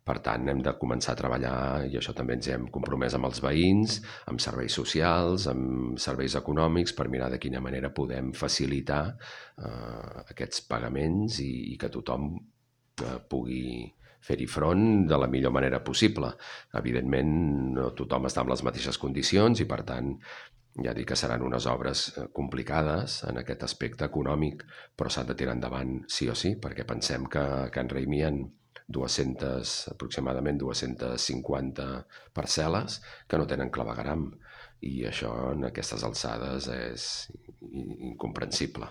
Per tant, hem de començar a treballar, i això també ens hem compromès amb els veïns, amb serveis socials, amb serveis econòmics, per mirar de quina manera podem facilitar aquests pagaments i que tothom pugui fer-hi front de la millor manera possible. Evidentment, no tothom està en les mateixes condicions i, per tant, ja dic que seran unes obres complicades en aquest aspecte econòmic, però s'han de tirar endavant sí o sí, perquè pensem que a Can Raimí hi ha aproximadament 250 parcel·les que no tenen clavegueram, i això en aquestes alçades és incomprensible.